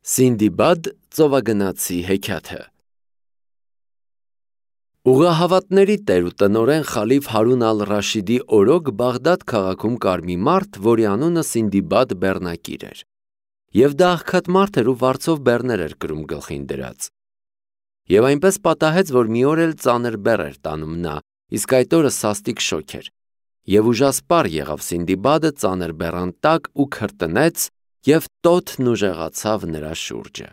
Սինդիբադ ծովագնացի հեքիաթը Ուղղահավատների տեր ու տնօրեն խալիֆ Հարուն ալ-Ռաշիդի օրոք Բաղդադ քաղաքում կար մի մարդ, որի անունը Սինդիբադ բեռնակիր էր, և դա աղքատ մարդ էր ու վարձով բեռներ էր կրում գլխին դրած։ Եվ այնպես պատահեց, որ մի օր էլ ծանր բեռ էր տանում նա, իսկ այդ օրը սաստիկ շոգ էր, և ուժասպառ եղավ Սինդիբադը ծանր բեռան տակ ու քրտնեց, և տոթն ուժեղացավ նրա շուրջը։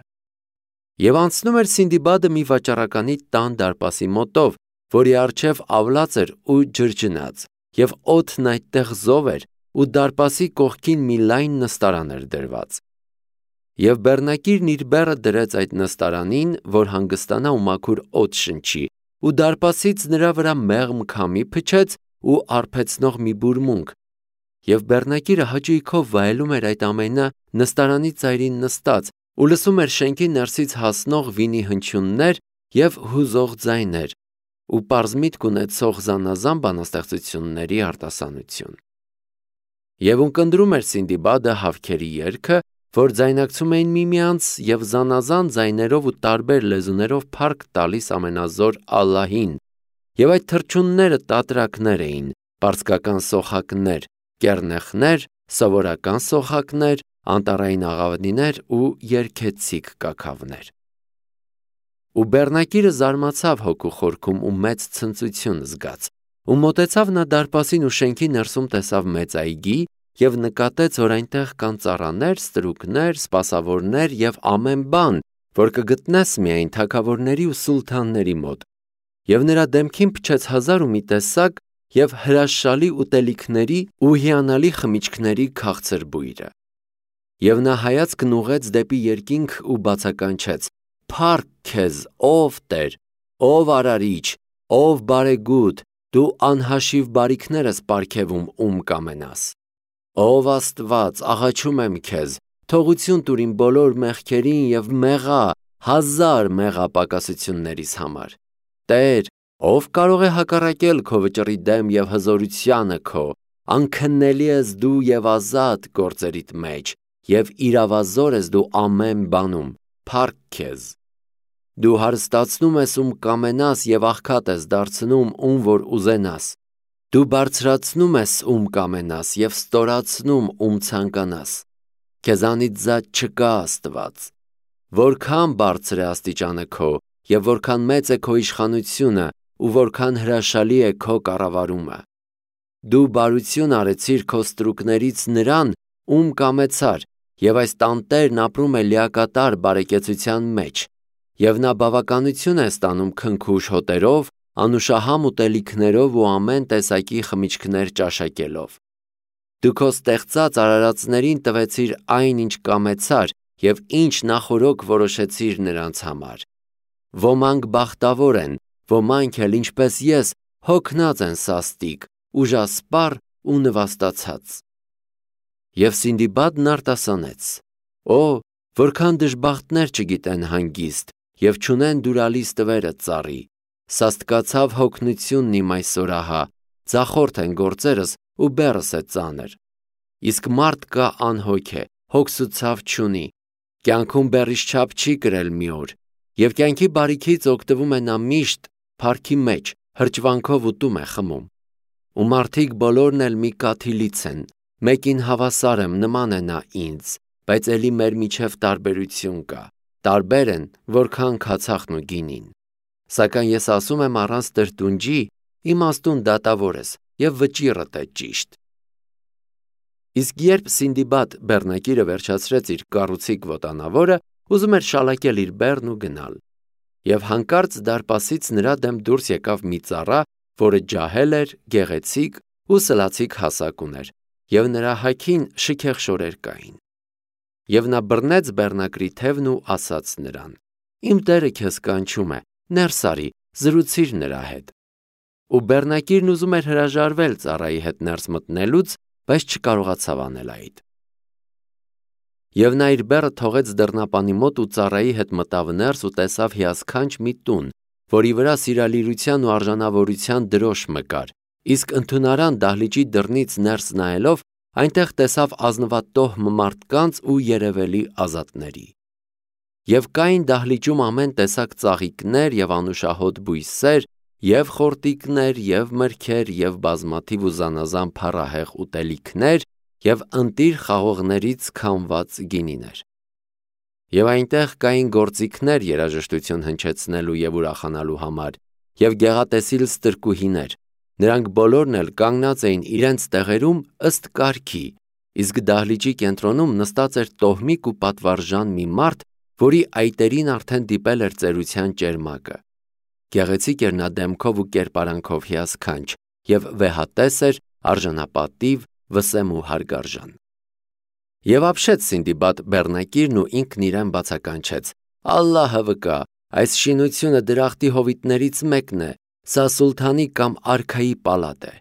Եվ անցնում էր Սինդիբադը մի վաճառականի տան դարպասի մոտով, որի առջև ավլաց էր ու ջրջնած, և օդն այդտեղ զով էր, ու դարպասի կողքին մի լայն նստարան էր դրված։ Եվ բեռնակիրն իր բեռը դրեց այդ նստարանին, որ հանգստանա ու մաքուր օդ շնչի, ու դարպասից նրա վրա մեղմ քամի փչեց ու արբեցնող մի բուրմունք, և բեռնակիրը հաճույքով վայելում էր այդ ամենը նստարանի ծայրին նստած ու լսում էր շենքի ներսից հասնող վինի հնչյուններ և հուզող ձայներ ու պարզ ունեցող զանազան բանաստեղծությունների արտասանություն։ Եվ ունկնդրում էր Սինդիբադը հավքերի երգը, որ ձայնակցում էին միմյանց և զանազան ձայներով ու տարբեր լեզուներով փառք տալիս ամենազոր Ալլահին, և այդ թռչունները տատրակներ էին, պարսկական սոխակներ, կեռնեխներ, սովորական սոխակներ, անտառային աղավնիներ ու երգեցիկ կաքավներ։ Ու բեռնակիրը զարմացավ հոգու խորքում ու մեծ ցնծություն զգաց, ու մոտեցավ նա դարպասին ու շենքի ներսում տեսավ մեծ այգի և նկատեց, որ այնտեղ կան ծառաներ, ստրուկներ, սպասավորներ և ամեն բան, որ կգտնես միայն թագավորների ու սուլթանների մոտ, և նրա դեմքին փչեց հազար ու մի տեսակ և հրաշալի ուտելիքների ու հիանալի խմիչքների քաղցր բույրը։ Եվ նա հայացքն ուղղեց դեպի երկինք ու բացականչեց. «Փառք քեզ, ով Տեր, ով Արարիչ, ով Բարեգութ, դու անհաշիվ բարիքներ ես պարգևում ում կամենաս։ Ով Աստված, աղաչում եմ քեզ, թողություն տուր իմ բոլոր մեղքերին և մեղա, հազար մեղա պակասություններիս համար։ Տեր, ով կարող է հակառակել քո վճռի դեմ և հզորությանը քո, անքննելի ես դու և ազատ գործերիդ մեջ, և իրավազոր ես դու ամեն բանում, փառք քեզ։ Դու հարստացնում ես ում կամենաս և աղքատ ես դարձնում ում որ ուզենաս։ Դու բարձրացնում ես ում կամենաս և ստորացնում ում ցանկանաս։ Քեզանից զատ չկա Աստված։ Որքան բարձր է աստիճանը քո և որքան մեծ է քո իշխանությունը ու որքան հրաշալի է քո կառավարումը։ Դու բարություն արեցիր քո ստրուկներից նրան, ում կամեցար, և այս տանտերն ապրում է լիակատար բարեկեցության մեջ, և նա բավականություն է ստանում քնքուշ հոտերով, անուշահամ ուտելիքներով ու ամեն տեսակի խմիչքներ ճաշակելով։ Դու քո ստեղծած արարածներին տվեցիր այն, ինչ կամեցար և ինչ նախօրոք որոշեցիր նրանց համար։ Ոմանք բախտավոր են, ոմանք էլ, ինչպես ես, հոգնած են սաստիկ, ուժասպառ ու նվաստացած։ Եվ Սինդիբադն արտասանեց. «Օ, որքան դժբախտներ չգիտեն հանգիստ և չունեն դուրալից տվերը ծառի, սաստկացավ հոգնությունն իմ այսօր ահա, ձախորդ են գործերս ու բեռս է ծանր։ Իսկ մարդ կա անհոգ է, հոգս ու ցավ չունի, կյանքում բեռից չափ չի կրել մի օր, և կյանքի բարիքից օգտվում է նա միշտ, փառքի մեջ, հրճվանքով ուտում է խմում։ Ու մարդիկ բոլորն էլ մի կաթիլից են, մեկին հավասար եմ, նման է նա ինձ, բայց էլի մեր միջև տարբերություն կա, տարբեր են, որքան քացախն ու գինին։ Սակայն ես ասում եմ առանց տրտունջի, իմաստուն դատավոր ես և վճիռդ է ճիշտ»։ Իսկ երբ Սինդիբադ բեռնակիրը վերջացրեց իր կառուցիկ ոտանավորը, ուզում էր շալակել իր բեռն ու գնալ, և հանկարծ դարպասից նրա դեմ դուրս եկավ մի ծառա, որը ջահել էր, գեղեցիկ ու սլացիկ հասակ ուներ, և նրա հագին շքեղ շորեր կային։ Եվ նա բռնեց բեռնակրի թևն ու ասաց նրան. «Իմ տերը քեզ կանչում է, ներս արի, զրուցիր նրա հետ»։ Ու բեռնակիրն ուզում էր հրաժարվել ծառայի հետ ներս մտնելուց, բայց չկարողացավ անել այդ։ Եվ նա իր բեռը թողեց դռնապանի մոտ ու ծառայի հետ մտավ ներս ու տեսավ հիասքանչ մի տուն, որի վրա սիրալիրության ու արժանավորության դրոշ մկար, իսկ ընդունարան դահլիճի դռնից ներս նայելով այնտեղ տեսավ ազնվատոհ մարդկանց ու երևելի ազատների։ Եվ կային դահլիճում ամեն տեսակ ծաղիկներ և անուշահոտ բույսեր, և խորտիկներ, և մրգեր, և բազմաթիվ ու զանազան փառահեղ ուտելիքներ, և ընտիր խաղողներից քամված գինիներ։ Եվ այնտեղ կային գործիքներ երաժշտություն հնչեցնելու և ուրախանալու համար, և գեղատեսիլ ստրկուհիներ, նրանք բոլորն էլ կանգնած էին իրենց տեղերում ըստ կարգի, իսկ դահլիճի կենտրոնում նստած էր տոհմիկ ու պատվարժան մի մարդ, որի այտերին արդեն դիպել էր ծերության ճերմակը։ Գեղեցիկ էր նա դեմքով ու կերպարանքով հիասքանչ, և վեհատես էր, արժանապատիվ, վսեմ ու հարգարժան։ Եվ ապշեց Սինդիբադ բեռնակիրն ու ինքն իրեն բացականչեց. «Ալլահը վկա, այս շինությունը դրախտի հովիտներից մեկն է, սա սուլթանի կամ արքայի պալատ է»։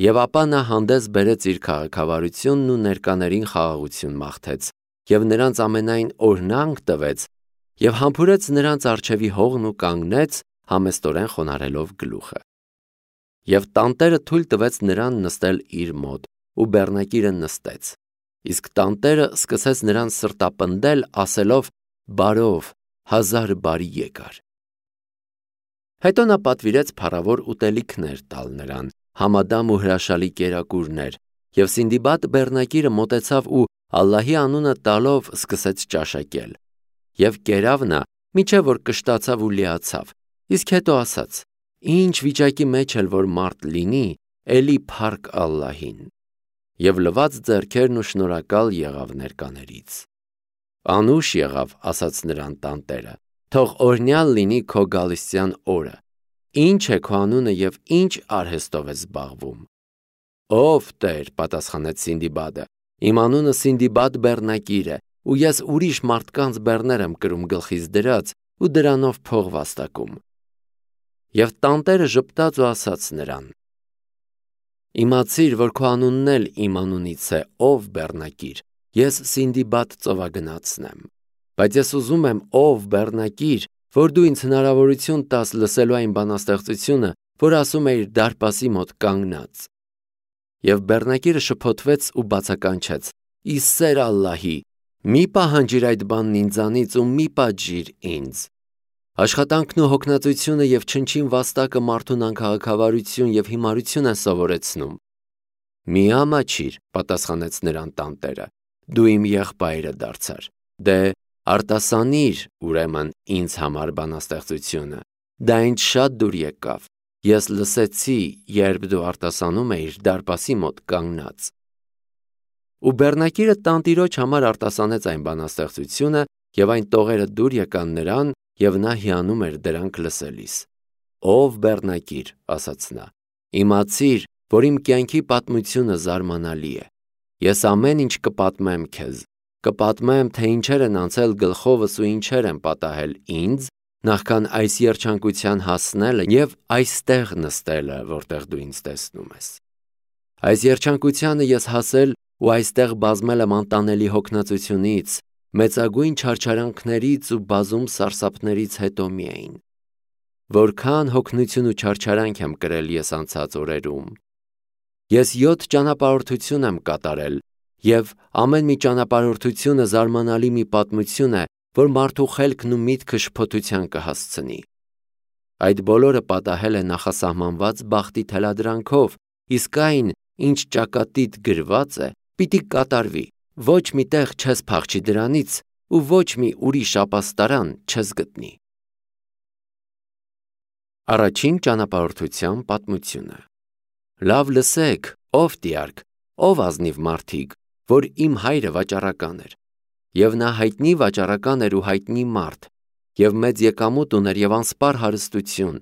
Եվ ապա նա հանդես բերեց իր քաղաքավարությունն ու ներկաներին խաղաղություն մաղթեց, և նրանց ամենայն օրհնանք տվեց, և համբուրեց նրանց առջևի հողն ու կանգնեց, համեստորեն խոնարհելով գլուխը։ Եվ տանտերը թույլ տվեց նրան նստել իր մոտ, ու բեռնակիրը նստեց, իսկ տանտերը սկսեց նրան սրտապնդել, ասելով. «Բարով, հազար բարի եկար»։ Հետո նա պատվիրեց փառավոր ուտելիքներ տալ նրան, համադամ ու հրաշալի կերակուրներ, և Սինդիբադ բեռնակիրը մոտեցավ ու Ալլահի անունը տալով սկսեց ճաշակել։ Եվ կերավ նա, մինչև որ կշտացավ ու լիացավ, իսկ հետո ասաց. «Ինչ վիճակի մեջ էլ որ մարդ լինի, էլի փառք Ալլահին»։ Եվ լվաց ձեռքերն ու շնորհակալ եղավ ներկաներից։ «Անուշ եղավ», ասաց նրան տանտերը, «թող օրհնյալ լինի քո գալստյան օրը։ Ի՞նչ է քո անունը և ի՞նչ արհեստով ես զբաղվում»։ «Ով Տեր», պատասխանեց Սինդիբադը, «իմ անունը Սինդիբադ բեռնակիր է, ու ես ուրիշ մարդկանց բեռներ եմ կրում գլխիս դրած ու դրանով փող վաստակում»։ Եվ տանտերը ժպտաց ու ասաց նրան. «Իմացիր, որ քո անունն էլ իմ անունից է, ով բեռնակիր, ես Սինդիբադ ծովագնացն եմ։ Բայց ես ուզում եմ, ով բեռնակիր, որ դու ինձ հնարավորություն տաս լսելու այն բանաստեղծությունը, որ ասում է իր դարպասի մոտ կանգնած»։ Եվ բեռնակիրը շփոթվեց ու բացականչեց. «Ի սեր Ալլահի, մի պահանջիր այդ բանն ինձանից ու մի պատժիր ինձ։ Աշխատանքն ու հոգնածությունը և չնչին վաստակը մարդուն անքաղաքավարություն և հիմարություն են սովորեցնում»։ «Մի ամաչիր», պատասխանեց նրան տանտերը, «դու իմ եղբայրը դարձար։ Դե արտասանիր, ուրեմն, ինձ համար բանաստեղծությունը, դա ինձ շատ դուր եկավ, ես լսեցի, երբ դու արտասանում էիր դարպասի մոտ կանգնած»։ Ու բեռնակիրը տանտիրոջ համար արտասանեց այն բանաստեղծությունը, և այն տողերը դուր եկան նրան, և նա հիանում էր դրանք լսելիս։ «Ով բեռնակիր», ասաց նա, «իմացիր, որ իմ կյանքի պատմությունը զարմանալի է։ Ես ամեն ինչ կպատմեմ քեզ, կպատմեմ, թե ինչեր են անցել գլխովս ու ինչեր են պատահել ինձ, նախքան այս երջանկության հասնելը և այստեղ նստելը, որտեղ դու ինձ տեսնում ես։ Այս երջանկությանը ես հասել ու այստեղ բազմել եմ անտանելի հոգնածությունից, մեծագույն չարչարանքներից ու բազում սարսափներից հետո միայն։ Որքան հոգնություն ու չարչարանք եմ կրել ես անցած օրերում։ Ես 7 ճանապարհորդություն եմ կատարել, և ամեն մի ճանապարհորդությունը զարմանալի մի պատմություն է, որ մարդու խելքն ու միտքը շփոթության կհասցնի։ Այդ բոլորը պատահել է նախասահմանված բախտի թելադրանքով, իսկ այն, ինչ ճակատիդ գրված է, պիտի կատարվի, ոչ մի տեղ չես փախչի դրանից ու ոչ մի ուրիշ ապաստարան չես գտնի։ Առաջին ճանապարհորդության պատմությունը։ Լավ լսեք, ով տիարք, ով ազնիվ մարդիկ, որ իմ հայրը վաճառական էր, և նա հայտնի վաճառական էր ու հայտնի մարդ, և մեծ եկամուտ ուներ և անսպառ հարստություն,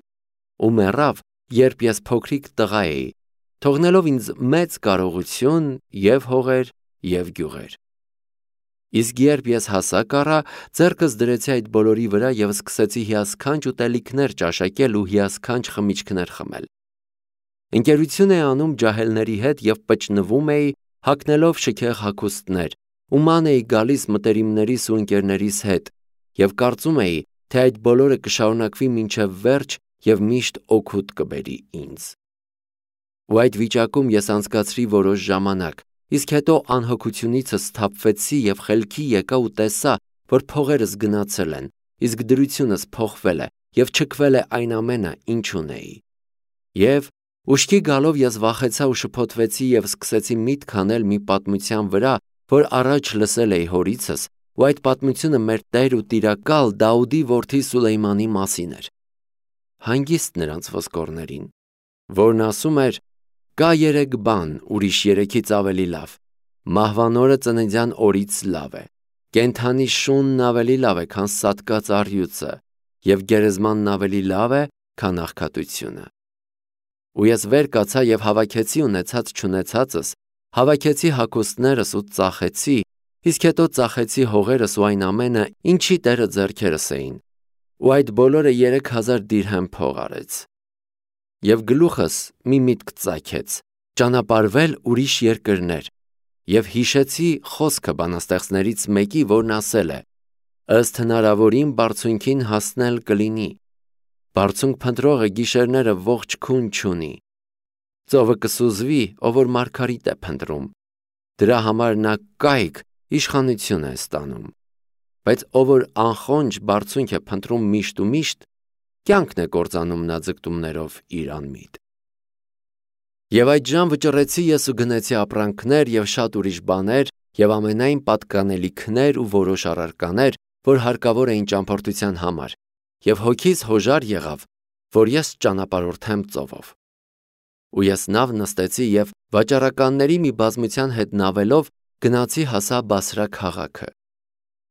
ու մեռավ, երբ ես փոքրիկ տղա էի, թողնելով ինձ մեծ կարողություն և հողեր և գյուղեր։ Իսկ երբ ես հասակ առա, ձեռքս դրեցի այդ բոլորի վրա և սկսեցի հիասքանչ ուտելիքներ ճաշակել ու հիասքանչ խմիչքներ խմել։ Ընկերություն էի անում ջահելների հետ և պճնվում էի, հագնելով շքեղ հագուստներ, ու ման էի գալիս մտերիմներիս ու ընկերներիս հետ, և կարծում էի, թե այդ բոլորը կշարունակվի մինչև վերջ և միշտ օգուտ կբերի ինձ։ Ու այդ վիճակում ես անցկացրի որոշ ժամանակ, իսկ հետո անհոգությունիցս սթափվեցի և խելքի եկա ու տեսա, որ փողերս գնացել են, իսկ դրությունս փոխվել է եւ չքվել է այն ամենը, ինչ ունեի։ Եվ ուշքի գալով ես վախեցա ու շփոթվեցի եւ սկսեցի միտք անել մի պատմության վրա, որ առաջ լսել էի հորիցս, ու այդ պատմությունը մեր Տեր ու Տիրակալ Դաուդի որդի Սուլեյմանի մասին էր։ Հանգիստ նրանց ոսկորներին, որն ասում էր. «Կա 3 բան, ուրիշ 3-ից ավելի լավ. մահվան օրը ծննդյան օրից լավ է, կենդանի շունն ավելի լավ է, քան սատկած առյուծը, եւ գերեզմանն ավելի լավ է, քան աղքատությունը»։ Ու ես վեր կացա եւ հավաքեցի ունեցած չունեցածս, հավաքեցի հագուստներս ու ծախեցի, իսկ հետո ծախեցի հողերս ու այն ամենը, ինչի Տերը ձեռքերս էին, ու այդ բոլորը 3000 դիրհեմ փող արեց։ Եվ գլուխս մի միտք ծագեց, ճանապարհվել ուրիշ երկրներ, եւ հիշեցի խոսքը բանաստեղծներից մեկի, որն ասել է. «Ըստ հնարավորին բարձունքին հասնել կլինի, բարձունք փնտրողը գիշերները ողջ քուն չունի, ծովը կսուզվի, ով որ մարգարիտ է փնտրում, դրա համար նա կայք իշխանություն է ստանում, բայց ով որ անխոնջ բարձունք է փնտրում միշտ ու միշտ, կյանքն է կործանում նա ձգտումներով իր անմիտ»։ Եվ այդժամ վճռեցի ես ու գնեցի ապրանքներ եւ շատ ուրիշ բաներ եւ ամենայն պատկանելիքներ ու որոշ առարկաներ, որ հարկավոր էին ճամփորդության համար, եւ հոգիս հոժար եղավ, որ ես ճանապարհորդեմ ծովով։ Ու ես նավ նստեցի եւ վաճառականների մի բազմության հետ նավելով գնացի հասա Բասրա քաղաքը։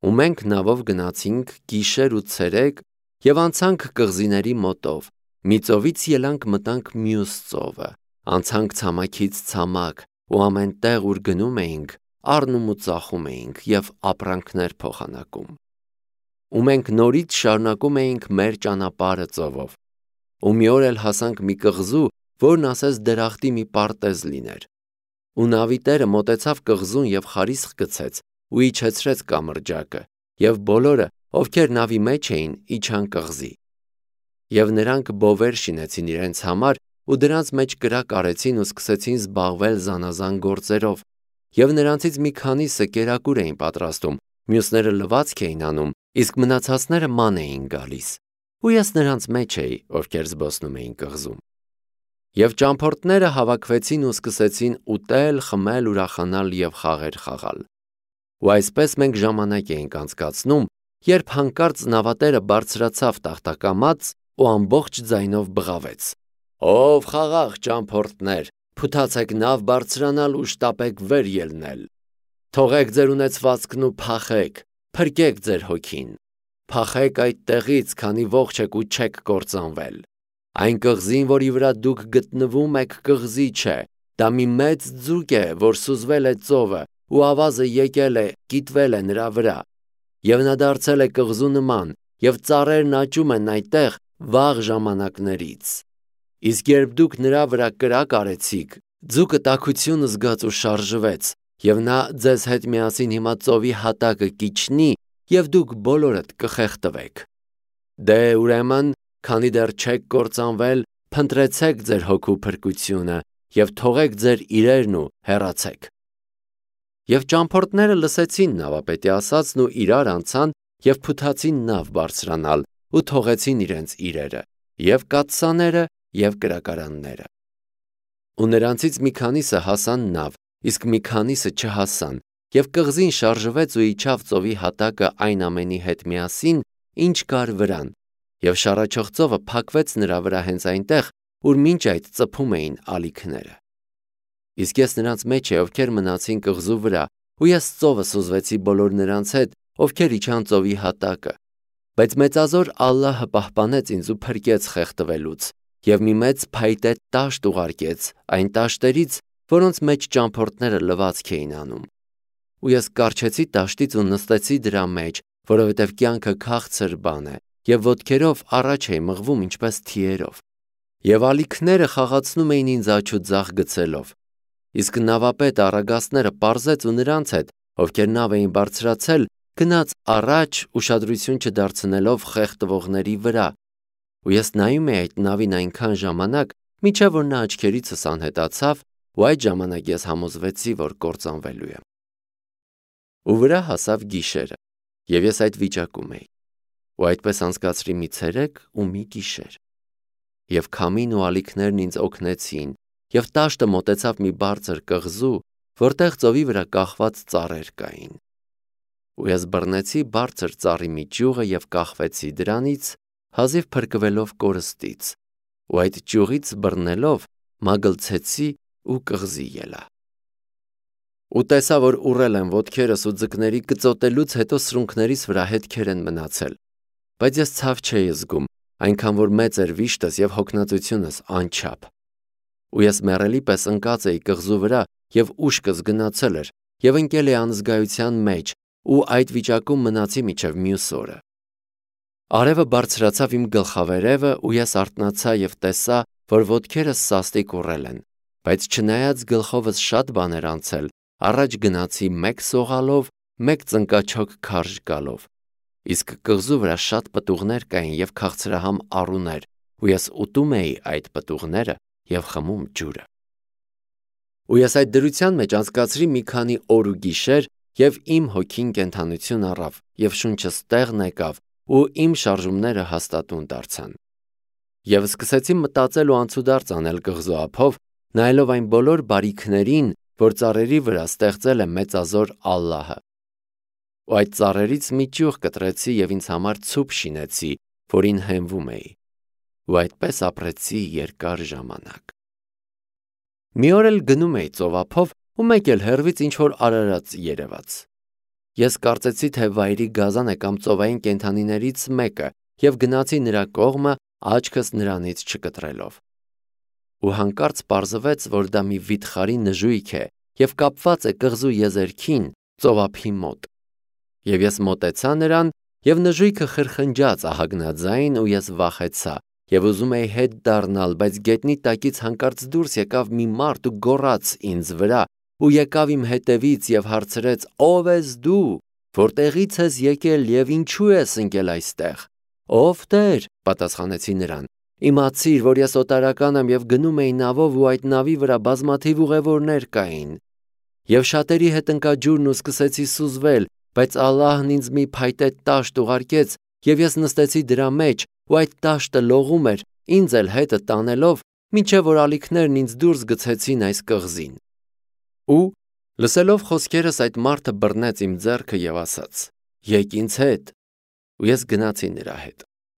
Ու մենք նավով գնացինք գիշեր ու ցերեկ եւ անցանք կղզիների մոտով, մի ծովից ելանք մտանք մյուս ծովը, անցանք ցամաքից ցամաք ու ամեն տեղ ուր գնում էինք, առնում ու ծախում էինք եւ ապրանքներ փոխանակում։ Ու մենք նորից շարունակում էինք մեր ճանապարհը ծովով։ Ու մի օր էլ հասանք մի կղզու, որն ասես դրախտի մի պարտեզ լիներ։ Ու նավի տերը մոտեցավ կղզուն եւ խարիսխ գցեց ու իջեցրեց կամրջակը, եւ բոլորը, ովքեր նավի մեջ էին, իջան կղզի։ Եվ նրանք բովեր շինեցին իրենց համար ու դրանց մեջ կրակ արեցին ու սկսեցին զբաղվել զանազան գործերով, եւ նրանցից մի քանիսը կերակուր էին պատրաստում, մյուսները լվացք էին անում, իսկ մնացածները ման էին գալիս, ու ես նրանց մեջ էի, ովքեր զբոսնում էին կղզում։ Եվ ճամփորդները հավաքվեցին ու սկսեցին ուտել, խմել, ուրախանալ եւ խաղեր խաղալ։ Ու այսպես մենք ժամանակ էինք անցկացնում, երբ հանկարծ նավատերը բարձրացավ տախտակամած ու ամբողջ ձայնով բղավեց. «Ով խաղաղ ճամփորդներ, փութացեք նավ բարձրանալ ու շտապեք վեր ելնել։ Թողեք ձեր ունեցվածքն ու փախեք, փրկեք ձեր հոգին։ Փախեք այդ տեղից, քանի ողջ եք ու չեք կործանվել։ Այն կղզին, որի վրա դուք գտնվում եք, կղզի չէ, դա մի մեծ ձուկ է, որ սուզվել է ծովը, ու ավազը եկել է, կիտվել է նրա վրա, եւ նա դարձել է կղզու նման, եւ ծառերն աճում են այդտեղ վաղ ժամանակներից։ Իսկ երբ դուք նրա վրա կրակ արեցիք, ձուկը տաքություն զգաց ու շարժվեց, եւ նա ձեզ հետ միասին հիմա ծովի հատակը կիջնի, եւ դուք բոլորդ կխեղդվեք։ Դե ուրեմն, քանի դեռ չեք կործանվել, փնտրեցեք ձեր հոգու փրկությունը եւ թողեք ձեր իրերն ու հեռացեք։ Եվ ճամփորդները լսեցին նավապետի ասածն ու իրար անցան եւ փութացին նավ բարձրանալ ու թողեցին իրենց իրերը, եւ կաթսաները, եւ կրակարանները։ Ու նրանցից մի քանիսը հասան նավ, իսկ մի քանիսը չհասան, եւ կղզին շարժվեց ու իջավ ծովի հատակը այն ամենի հետ միասին, ինչ կար վրան, եւ շառաչող ծովը փակվեց նրա վրա հենց այնտեղ, ուր մինչ այդ ծփում էին ալիքները։ Իսկ ես նրանց մեջ էի, ովքեր մնացին կղզու վրա, ու ես ծովը սուզվեցի բոլոր նրանց հետ, ովքեր իջան ծովի հատակը, բայց մեծազոր Ալլահը պահպանեց ինձ ու փրկեց խեղդվելուց, եւ մի մեծ փայտե տաշտ ուղարկեց այն տաշտերից, որոնց մեջ ճամփորդները լվացք էին անում։ Ու ես կառչեցի տաշտից ու նստեցի դրա մեջ, որովհետև կյանքը քաղցր բան է, եւ ոտքերով առաջ էի մղվում ինչպես թիերով։ Եվ ալիքները խաղացնում էին ինձ աջ ու ձախ գցելով։ Իսկ նավապետը առագաստները պարզեց ու նրանց հետ, ովքեր նավ էին բարձրացել, գնաց առաջ ուշադրություն չդարձնելով խեղդվողների վրա։ Ու ես նայում էի այդ նավին այնքան ժամանակ, մինչև որ նա աչքերիցս անհետացավ, ու այդ ժամանակ ես համոզվեցի, որ կործանվելու եմ։ Ու վրա հասավ գիշերը, Եվ ես այդ վիճակում էի։ Ու այդպես անցկացրի մի ցերեկ ու մի գիշեր։ Եվ քամին ու ալիքներն ինձ օգնեցին, եւ տաշտը մոտեցավ մի բարձր կղզու, որտեղ ծովի վրա կախված ծառեր կային։ Ու ես բռնեցի բարձր ծառի մի ճյուղը եւ կախվեցի դրանից, հազիվ փրկվելով կորստից, ու այդ ճյուղից բռնելով մագլցեցի ու կղզի ելա։ Ու տեսա, որ ուռել եմ ոտքերս ու ձկների կծոտելուց հետո սրունքներիս վրա հետքեր են մնացել, բայց ես ցավ չէի զգում, այնքան որ մեծ էր վիշտս եւ հոգնածությունս անչափ։ Ու ես մեռելի պես ընկած էի կղզու վրա եւ ուշքս գնացել էր եւ ընկել էի անզգայության մեջ ու այդ վիճակում մնացի մինչեւ մյուս օրը։ Արևը բարձրացավ իմ գլխավերևը ու ես արթնացա եւ տեսա, որ ոտքերս սաստիկ ուռել են, բայց չնայած գլխովս շատ բաներ անցել, առաջ գնացի մեկ սողալով, մեկ ծնկաչոք քարշ գալով։ Իսկ կղզու վրա շատ պտուղներ կային եւ քաղցրահամ առուներ, ու ես ուտում էի այդ պտուղները եւ խմում ջուրը։ Ու ես այդ դրության մեջ անցկացրի մի քանի օր ու գիշեր, եւ իմ հոգին կենթանություն առավ, եւ շունչս տեղն եկավ, ու իմ շարժումները հաստատուն դարձան։ Եվ սկսեցի մտածել ու անցուդարձ անել կղզու ափով, նայելով այն բոլոր բարիքներին, որ ծառերի վրա ստեղծել է մեծազոր Ալլահը։ Ու այդ ծառերից մի ճյուղ կտրեցի եւ ինձ համար ցուպ շինեցի, որին հենվում էի։ Ու այդպես ապրեցի երկար ժամանակ։ Մի օր էլ գնում էի ծովափով ու մեկ էլ հեռվից ինչ որ արարած երևաց։ Ես կարծեցի, թե վայրի գազան է կամ ծովային կենդանիներից մեկը եւ գնացի նրա կողմը, աչքս նրանից չկտրելով։ Ու հանկարծ պարզվեց, որ դա մի վիթխարի նժույգ է եւ կապված է կղզու եզերքին ծովափի մոտ։ Եվ ես մոտեցա նրան եւ նժույգը խրխնջաց ահագնաձայն ու ես վախեցա եւ ուզում էի հետ դառնալ, բայց գետնի տակից հանկարծ դուրս եկավ մի մարդ ու գոռաց ինձ վրա ու եկավ իմ հետևից եւ հարցրեց. «Ո՞վ ես դու, որտեղից ես եկել եւ ինչու ես ընկել այստեղ»։ «Ով Տեր», պատասխանեցի նրան, «իմացիր, որ ես օտարական եմ եւ գնում էի նավով ու այդ նավի վրա բազմաթիվ ուղևորներ կային։ Եվ շատերի հետ ընկա ջուրն ու սկսեցի սուզվել, բայց Ալլահն ինձ մի փայտե տաշտ ուղարկեց եւ ես նստեցի դրա մեջ ու այդ տաշտը լողում էր, ինձ էլ հետը տանելով, մինչեւ որ ալիքներն ինձ դուրս գցեցին այս կղզին»։ Ու լսելով խոսքերս այդ մարդը բռնեց իմ ձեռքը եւ ասաց. «Եկ ինձ հետ»։ Ու ես գնացի նրա հետ։